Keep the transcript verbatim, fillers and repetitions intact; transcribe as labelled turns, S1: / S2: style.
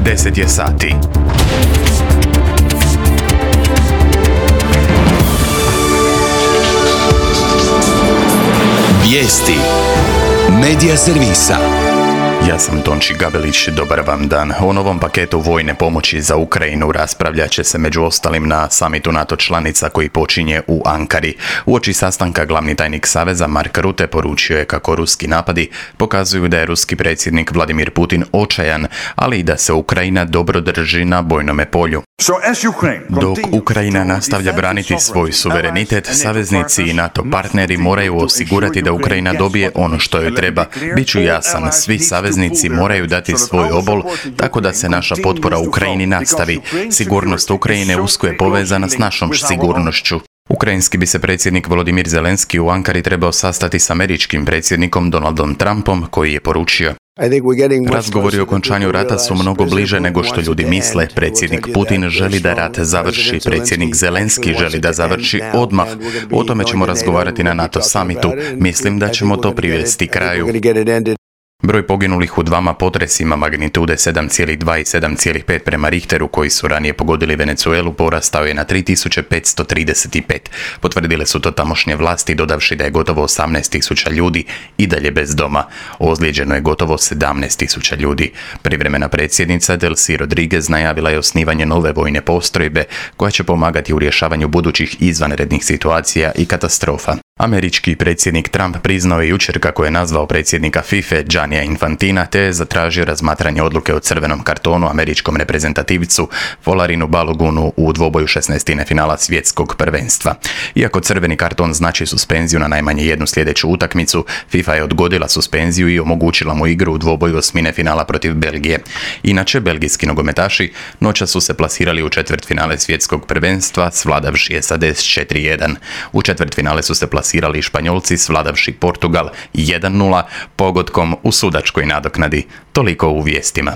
S1: deset je sati.
S2: Vijesti Medija servisa.
S1: Ja sam Tonči Gabelić, dobar vam dan. O novom paketu vojne pomoći za Ukrajinu raspravljat će se među ostalim na samitu NATO članica koji počinje u Ankari. Uoči sastanka glavni tajnik Saveza Mark Rutte poručio je kako ruski napadi pokazuju da je ruski predsjednik Vladimir Putin očajan, ali i da se Ukrajina dobro drži na bojnome polju. Dok Ukrajina nastavlja braniti svoj suverenitet, saveznici i NATO partneri moraju osigurati da Ukrajina dobije ono što joj treba. Biću jasan, svi saveznici moraju dati svoj obol, tako da se naša potpora Ukrajini nastavi. Sigurnost Ukrajine usko je povezana s našom sigurnošću. Ukrajinski bi se predsjednik Volodimir Zelenski u Ankari trebao sastati s američkim predsjednikom Donaldom Trumpom, koji je poručio: razgovori o okončanju rata su mnogo bliže nego što ljudi misle. Predsjednik Putin želi da rat završi, predsjednik Zelenski želi da završi odmah. O tome ćemo razgovarati na NATO samitu. Mislim da ćemo to privesti kraju. Broj poginulih u dvama potresima magnitude sedam zarez dva i sedam zarez pet prema Richteru koji su ranije pogodili Venezuelu porastao je na tri tisuće petsto trideset pet. Potvrdile su to tamošnje vlasti, dodavši da je gotovo osamnaest tisuća ljudi i dalje bez doma. Ozlijeđeno je gotovo sedamnaest tisuća ljudi. Privremena predsjednica Delcy Rodriguez najavila je osnivanje nove vojne postrojbe koja će pomagati u rješavanju budućih izvanrednih situacija i katastrofa. Američki predsjednik Trump priznao je jučer kako je nazvao predsjednika FIFA Giannija Infantina te je zatražio razmatranje odluke o crvenom kartonu američkom reprezentativcu Folarinu Balogunu u dvoboju šesnaestine finala svjetskog prvenstva. Iako crveni karton znači suspenziju na najmanje jednu sljedeću utakmicu, FIFA je odgodila suspenziju i omogućila mu igru u dvoboju osmine finala protiv Belgije. Inače, belgijski nogometaši noćas su se plasirali u četvrtfinale svjetskog prvenstva svladavši S A D s četiri jedan. U četvrtfinale su se plasirali Sirali Španjolci svladavši Portugal jedan nula pogodkom u sudačkoj nadoknadi. Toliko u vijestima.